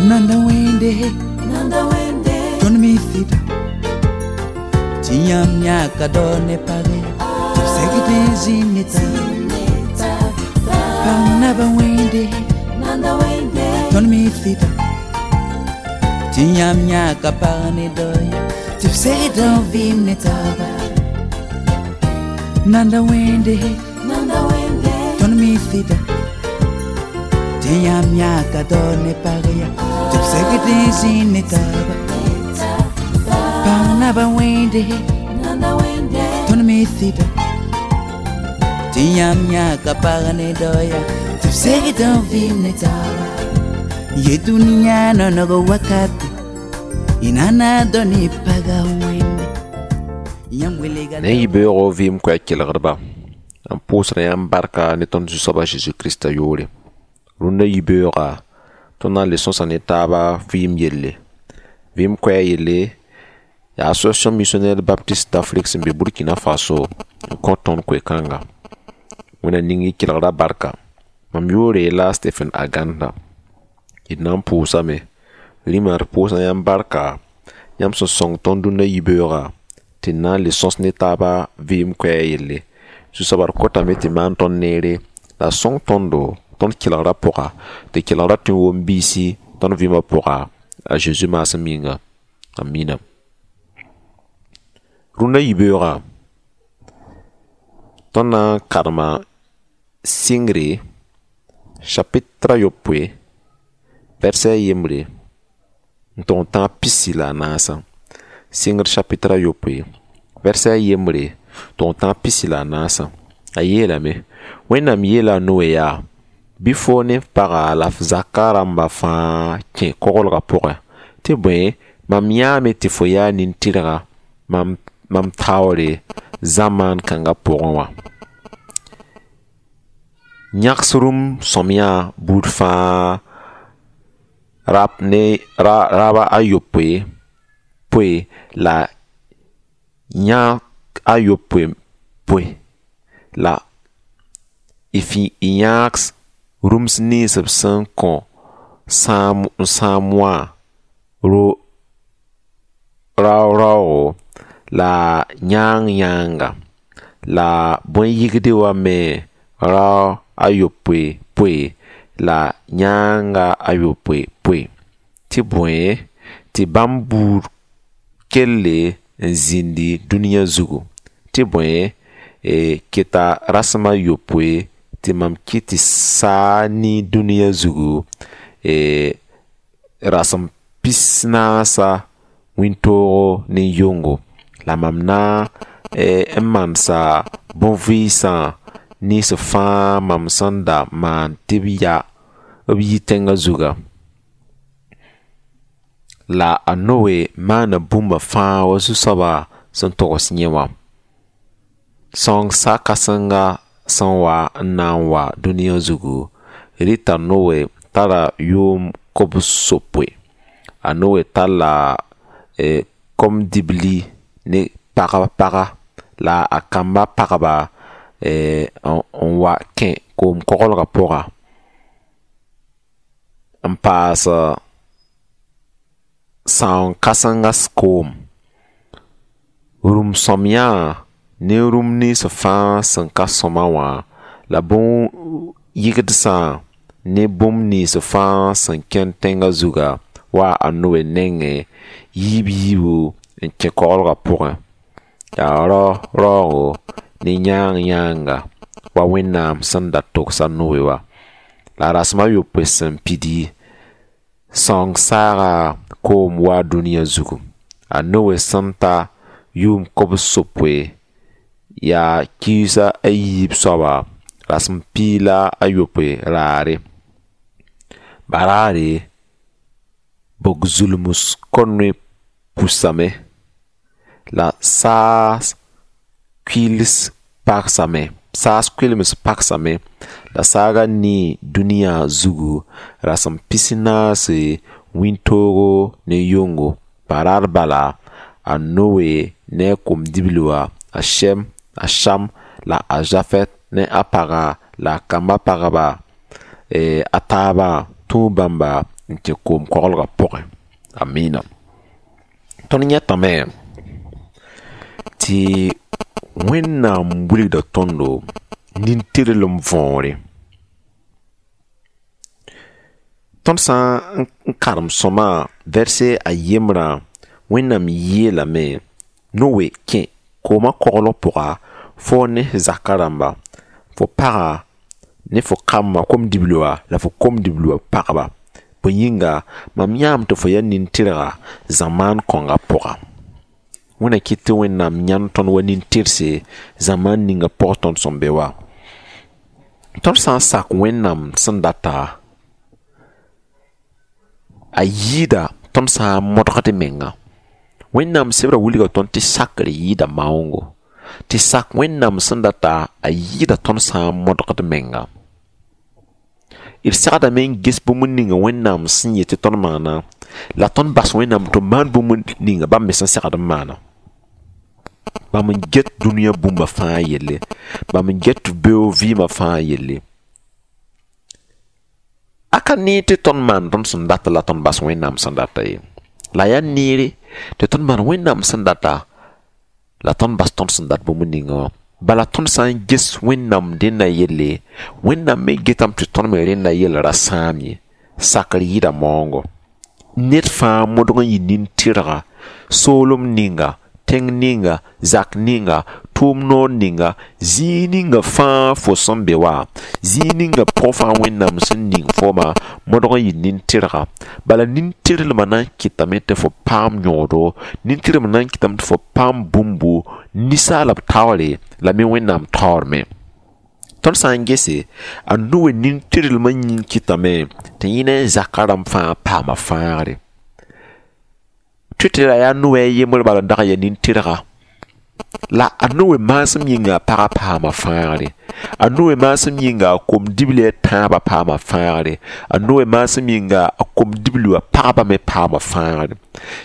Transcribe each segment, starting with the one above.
Nanda wẽnde, Nanda wẽnde, tõnd mi sɩda tɩ yãmb yãka dao ne page tɩ b segd n zĩnd ne taaba. Pag naba wẽnde, Nanda wẽnde, tõnd mi sɩda tɩ yãmb yãka pag ne daoya tɩ b segd n vɩɩm ne taaba. Nanda wẽnde, Nanda wẽnde, tõnd mi sɩda tɩ yãmb yãka dao ne pag ya tɩ b segd n zĩnd ne taaba. Pag naba wẽnde, Nanda wẽnde, tõnd mi sɩda tɩ yãmb yãka pag ne daoya tɩ b segd n vɩɩm ne taaba. Ye dũniyã nonog wakate y nana dao ne paga wẽnde yãmb welga. Ne yibeoogo vɩɩm koɛɛ kelgdba, n pʋʋsda yãmb barka ne tõnd Zu-soaba Zeezi Krista yʋʋre. Rũndã yibeooga, tõnd na n le sõsa ne taaba vɩɩm yelle. Vɩɩm koɛɛ yelle, yaa Association Missionnaire Baptiste d'Afrique sẽn be Burkina Faso n kõ tõnd koe-kãnga. Wẽnna ning y kelgda barka. Mam yʋʋre la Stephen Aganda. D na n pʋʋsame. Rĩmã d pʋʋsda yãmb barka, yãmb sẽn sõng tõnd dũnna yibeoogã tɩ d na n le sõs ne taaba vɩɩm koɛɛg yelle. Zu-soabã d kotame tɩ maan tõnd neere la sõng tõndo tõnd kelgrã pʋga, tɩ kelgrã tõe n wom biisi tõnd vɩɩmã pʋga a Zeezi maasem yĩnga. Amina. Rũndã yibeoogã, tõnd na n karema sɩngre chapitre a yopoe, verset yembre n tʋg n tãag 14. Sɩngr chapitre a yopoe, verset yembre tʋg n tãag 14. A yeelame: Wẽnnaam yeela a Noe yaa: bɩ foo ne f paga la f zakã rãmba fãa kẽ koglgã pʋgẽ, tɩ bõe, mam yãame tɩ fo yaa nin-tɩrga mam taoore zamaan kãngã pʋgẽ wã. Yãgs rũm sõmyã buud fãa rap ne raba a yopoe poe la yãk a yopoe poe la y yãgs rũms nins b sẽn kõ n sãam wã rao-raoogo la yãang-yãanga la bõe-yɩgde wã me rao a yopoe poe la yãanga a yopoe poe, tɩ bõe, tɩ bãmb buud kelle n zĩndi dũniyã zugu, tɩ bõe, keta rasem a yopoe tɩ mam kɩt tɩ saa ne dũniyã zugu rasem 40 wĩntoogo ne yongo, la mam na n mansa bõn-vɩɩsã nins fãa mam sẽn da maan tɩ b ya b yi tẽngã zuga. La a Noe maana bũmba fãa wa Zu-soabã sẽn togs yẽ wã. Sõng sa-kãsenga sẽn wa n na n wa dũniyã zugu, rɩta Noe tara yʋʋm 90. A Noe talla kom-dibli ne pagb paga la a kamba pagba n wa kẽ koom-koglgã pʋga n paas sãoong kãsengã koom. Rũm sõmyã ne rũm nins fãa sẽn ka sõma wã la bõn-yɩgdsã ne bũmb nins fãa sẽn kẽnd tẽngã zuga wa a Noe nengẽ yiib yiibu n kẽ koglgã pʋgẽ. Yaa rao raoogo ne yãang-yãanga wa Wẽnnaam sẽn da togs a Noe wã. La rasem a yopoe sẽn pidi, sõng saaga koom wa dũniyã zugu. A Noe sẽn ta yʋʋm 90 yaa kiisa a yiib soaba rasem 16 raare. Baraare bog-zulms ko-noe pusame la saas kuils pagsame, saas kʋɩlems pagsame la saaga nii dũniyã zugu rasem 40 wĩntoogo ne yongo. Baraar bala, a Noe ne a kom-dibli wã, a Shem, a Sham la a Zafɛt ne a paga la a kamba pagba a taabã tũu bãmba n kẽ koom koglgã pʋgẽ. Amina. Tõnd yãtame tɩ Wẽnnaam wilgda tõndo nin-tɩrlem võore. Tõnd sã n karem sõma vɛrse a yembrã, Wẽnnaam yeelame: Noe, kẽ koomã koglg pʋga fo ne zakã rãmba, fo paga ne fo kambã kom-dibli wã la fo kom-dibli wã pagba. Bõe yĩnga, mam yãame tɩ fo yaa nin-tɩrga zamaan kõngã pʋga. Wẽnna kɩt tɩ Wẽnnaam yãnd tõnd wa nin-tɩrse zamaan ninga pʋg tõnd sẽn be wã. Tõnd sã n sak Wẽnnaam sẽn data, a yɩɩda tõnd sã n modgd menga. Wẽnnaam sebrã wilga tõnd tɩ sakr yɩɩda maoongo. Tɩ sak Wẽnnaam sẽn data, a yɩɩda tõnd sã n modgd menga. D segdame n ges bũmb ninga Wẽnnaam sẽn yet tɩ tõnd maana, la tõnd bas Wẽnnaam tɩ maan bũmb ninga bãmb me sẽn segd n maana. Bãmb n get dũniyã bũmba fãa yelle, bãmb n get beoog vɩɩmã fãa yelle. A ka neer tɩ tõnd maan tõnd sẽn data la tõnd bas Wẽnnaam sẽn data ye. La yaa neere tɩ tõnd maan Wẽnnaam sẽn data la tõnd bas tõnd sẽn dat bũmb ninga wã. Bala tõnd sã n ges Wẽnnaam dẽnna yelle, Wẽnnaam me getame tɩ tõnd me rẽnna yell ra sãam ye. Sakr yɩɩda maoongo. Ned fãa modg n yɩ nin-tɩrga, soolem ninga, tẽng ninga, zak ninga, tʋʋm noor ninga, zĩig ninga fãa fo sẽn be wã, zĩig ninga pʋgẽ fãa Wẽnnaam sẽn ning fooma, modg n yɩ nin-tɩrga. Bala nin-tɩrlmã na n kɩtame tɩ fo paam yõodo, nin-tɩrlmã na n kɩtame tɩ fo paam bũmbu ninsaalb taoore la me Wẽnnaam taoor me. Tõnd sã n gese, a Noe nin-tɩrlmã yĩng kɩtame tɩ yẽ ne a zakã rãmb fãa paama fãagre. Tɩ tɩ ra yaa Noe a yembr bala n dag n yaa nin-tɩrga. La a Noe maasem yĩnga a pagã paama fãagre. A Noe maasem yĩnga a kom-dibli a tãabã paama fãagre. A Noe maasem yĩnga a kom-dibli wã pagba me paama fãagre.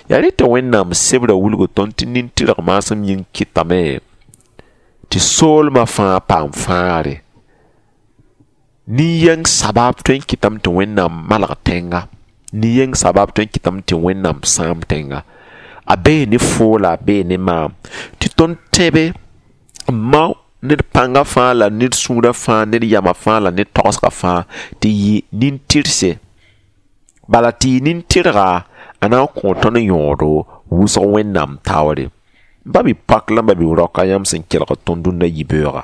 Yaa rẽ tɩ Wẽnnaam sebrã wilg tõnd tɩ nin-tɩrg maasem yĩng kɩtame tɩ soolmã fãa paam fãagre. Nin-yɛng sabab tõe n kɩtame tɩ Wẽnnaam malg tẽnga. Nin-yɛng sabab tõe n kɩtame tɩ Wẽnnaam sãam tẽnga. A bee ne foo la a bee ne maam. Tɩ tõnd tẽbe n mao ned pãnga fãa la ned sũurã fãa, ned yamã fãa la ned tagsgã fãa tɩ yɩ nin-tɩrse. Bala tɩ yɩ nin-tɩrga, a na n kõ tõnd yõodo wʋsg Wẽnnaam taoore. Ba bi pak la ba bi roka yãmb sẽn kelg tõnd dũnna yibeooga.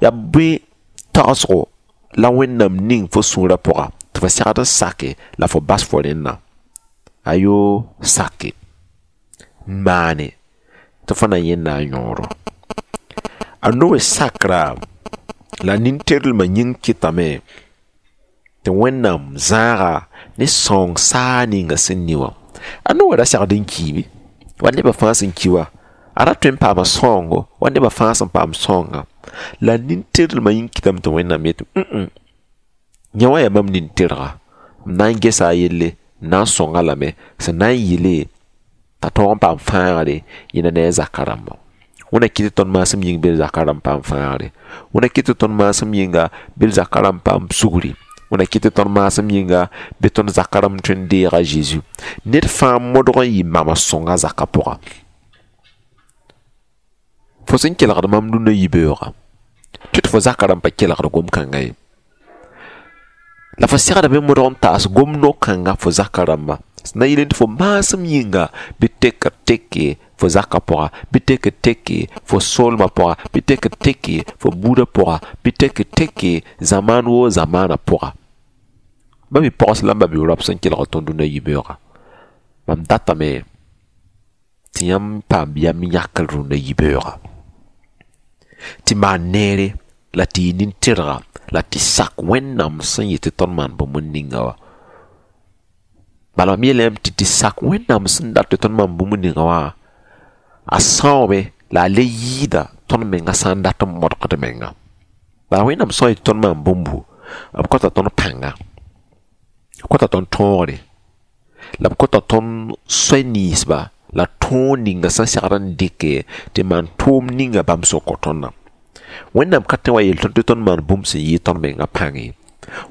Yaa bõe tagsgo la Wẽnnaam ning fo sũurã pʋga tɩ fo segd n sake la fo bas fo rẽnna. Ayo, sake. Maane tɩ fo na yẽnda a yõoro. A Noe sakra la nin-tɩrlmã yĩng kɩtame tɩ Wẽnnaam zãaga ne sõng saag ninga sẽn ni wã. A Noe ra segd n kiime wa nebã fãa sẽn ki wã. A ra tõe n paama sõngo wa nebã fãa sẽn paam sõnga. La nin-tɩrlmã yĩng kɩtame tɩ Wẽnnaam yetɩ yẽ wã yaa mam nin-tɩrga. M na n gesa a yelle, m na n sõng-a lame, sẽn na n yɩle t'a tõog n paam fãagre yẽna ne a zakã rãmbã. Wẽnna kɩt tɩ tõnd maasem yĩng bɩ d zakã rãmb paam fãagre. Wẽnna kɩt tɩ tõnd maasem yĩnga bɩ d zakã rãmb paam sugri. Wẽnna kɩt tɩ tõnd maasem yĩnga bɩ tõnd zakã rãmb tõe n deeg a Zeezi. Ned fãa modg n yɩ mama sõnga zakã pʋga. Fo sẽn kelgd mam dũnna yibeoogã, tɩ tɩ fo zakã rãmb pa kelgd gom-kãngã ye. La fo segdame modg n taas gom no-kãnga fo zakã rãmba. Sẽn na yɩl tɩ fo maasem yĩnga bɩ tekr teke fo zakã pʋga, bɩ tekr teke fo soolmã pʋga, bɩ tekr teke fo buudã pʋga, bɩ tekr teke zamaan woo zamaanã pʋga. Ba bi pogs la b ba bi rap sẽn kelg tõnd dũnna yibeoogã. Mam datame tɩ yãmb paam yam yãkr rũnnã yibeoogã. Tɩ maan neere la tɩ yɩ nin-tɩrga la tɩ sak Wẽnnaam sẽn yet tɩ tõnd maan bũmb ninga wã. Bala mam yeelame tɩ tɩ sak Wẽnnaam sẽn dat tɩ tõnd maan bũmb ninga wã, a sãoome la a le yɩɩda tõnd menga sã n dat n modgd menga. Bala Wẽnnaam sã n yet tɩ tõnd maan bũmbu, b kõta tõnd pãnga, b kõta tõnd tõogre, la b kõta tõnd soay ninsba la tõog ninga sẽn segd n dɩke tɩ maan tʋʋm ninga bãmb sẽn kõ tõndã. Wẽnnaam ka tõe wa yeel tõnd tɩ tõnd maan bũmb sẽn yɩ tõnd menga pãng ye.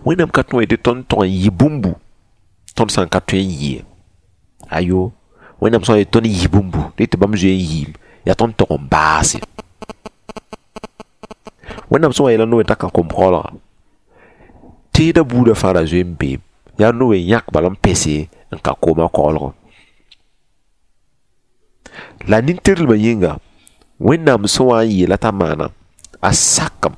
Wẽnnaam ka tõe wa yeel tɩ tõnd tog n yɩ bũmbu tõnd Tõnd sã n ka tõe n yɩ ye. Ayo, Wẽnnaam sã n yet tõnd yɩ bũmbu rɩ tɩ bãmb zoe n yɩɩm, yaa tõnd tog n baase. Wẽnnaam sẽn wa yeela Noe t'a ka kom-koɛɛlga, teedã buudã fãa ra zoe n beem. Yaa Noe n yãk bala n pese n ka koomã koɛɛlgẽ. La nin-tɩrlmã yĩnga, Wẽnnaam sẽn wa n yeela t'a maana, a sakame.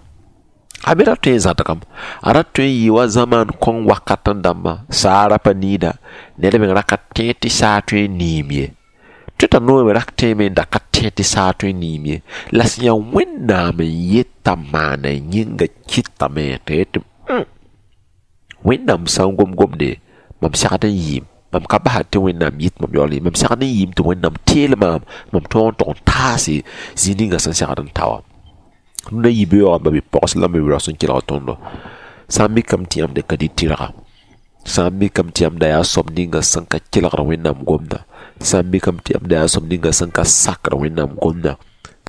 A me ra tõe n zãdgame. A ra tõe n yɩ wa zamaan kõng wakat n dãmba, saa ra pa niida, ned meng ra ka tẽed tɩ saa tõe n niim ye. Tõe t'a Noe me ra tẽeme n da ka tẽed tɩ saa tõe n niim ye. La sẽn yaa Wẽnnaam n yeta maana yĩnga kɩtame t'a yetɩ Wẽnnaam sã n gom gomde, mam segd n yɩɩm. Mam ka basd tɩ Wẽnnaam yit mam yaool ye. Mam segd n yɩɩm tɩ Wẽnnaam teel maam, mam tõog n tog n taase zĩ ninga sẽn segd n ta wã. Rũndã yibeoogã ba bi-pogs la b bi-raoos n kelg tõndo. Sã n mikame tɩ yãmb da ka dɩ tɩrga, sã n mikame tɩ yãmb da yaa soab ninga sẽn ka kelgd Wẽnnaam gomdã, sã n mikame tɩ yãmb da yaa soab ninga sẽn ka sakd Wẽnnaam gomdã,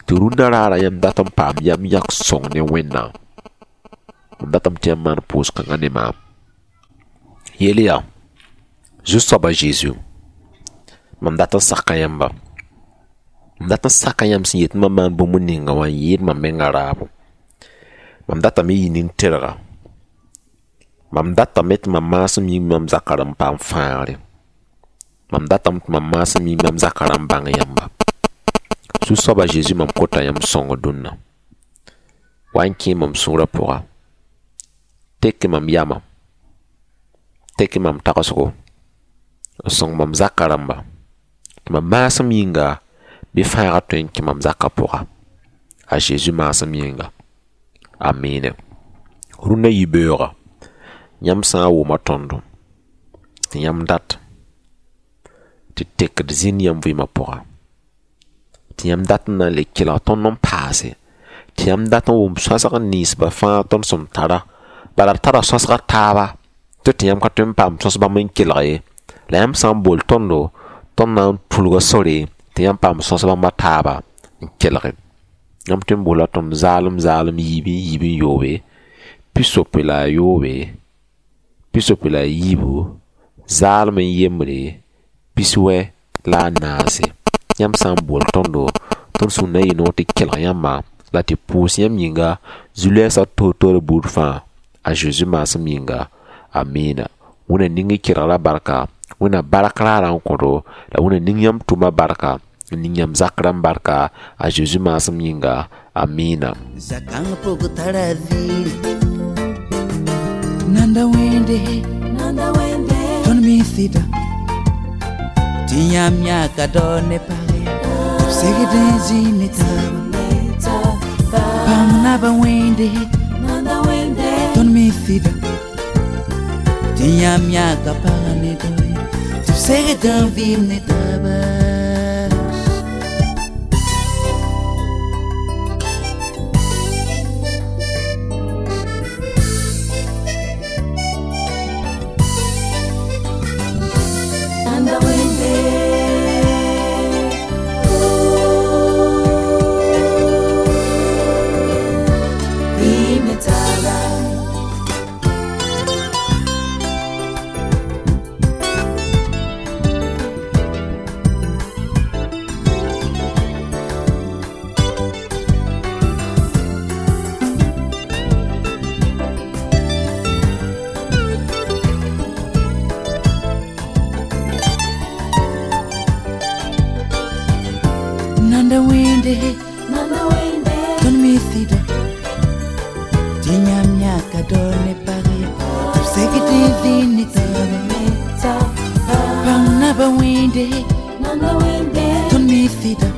tɩ rũndã raara yãmb dat n paam yam yãk sõng ne Wẽnnaam. Mam datame tɩ yãmb maan pʋʋs-kãngã ne maam. Yeel yaa, Zu-soaba Zeezi, mam dat n saka yãmba. Mam dat n saka yãmb sẽn yet mam maan bũmb ninga wã n yɩɩd mam menga raabo. Mam datame yɩ nin-tɩrga. Mam datame tɩ mam maasem yĩng mam zakã n paam fãagre. Mam datame tɩ mam maasem yĩng mam zakã n bãng yãmba. Zu-soaba Zeezi, mam kota yãmb sõng dũnna. Wa n kẽ mam sũurã pʋga. Tek mam yamã. Tek mam tagsgo. N sõng mam zakã rãmba. Tɩ mam maasem yĩnga bɩ fãagã tõe n kẽ mam zakã pʋga. A Zeezi maasem yĩnga. Amiine. Rũndã yibeoogã, yãmb sã n wʋma tõndo, tɩ yãmb dat tɩ tekd zĩnd yãmb vɩɩmã pʋga, tɩ yãmb dat n na n le kelg tõnd n paase, tɩ yãmb dat n wʋm sõsg ninsbã fãa tõnd sẽn tara, bala d tara sõsga taaba tɩ tɩ yãmb ka tõe n paam sõs bãmb n kelg ye. La yãmb sã n bool tõndo, tõnd na n tũlga sore tɩ yãmb paam sõs bãmba taaba n kelge. Yãmb tõe n boola tõnd zaalem zaalem yiib n yiib n yoobe, 63, 64, zaalem n yembre, 64. Yãmb sã n bool tõndo, tõnd sũur na n yɩ noor tɩ kelg yãmba la tɩ pʋʋs yãmb yĩnga zu-lɛɛsã toor-toor buud fãa a Zeezi maasem yĩnga. Amiina. Wẽnna ning y kelgrã barka, Wẽnna bark raarã n kõdo, la Wẽnna ning yãmb tʋma barka, n ning yãmb zakrã barka a Zeezi maasem yĩnga. Amiina. Zakãng pʋg tara ziiri. Nanda wẽnde, Nanda wende, tõnd me sɩda. Tɩ yãmb yãka dao ne page, tɩ b segd n zĩ ne taaba. taba. Bãmb naba wẽnde, Nanda wende, tõnd me sɩda. Tɩ yãmb yãka pagã ne dao ye, tɩ b segd n vɩɩm ne taaba. Nanda wende. Vime taba. Nanda wẽnde, Nanda wende, tõnd me sɩda. Tɩ yãmb yãka dao ne pag ye, tɩ b segd n zĩ ne taaba. taba. Bãmb naba wẽnde, Nanda wende, tõnd me sɩda.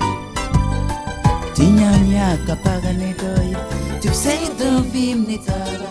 Tɩ yãmb yãka pagã ne dao ye, tɩ b segd n vɩɩm ne taaba.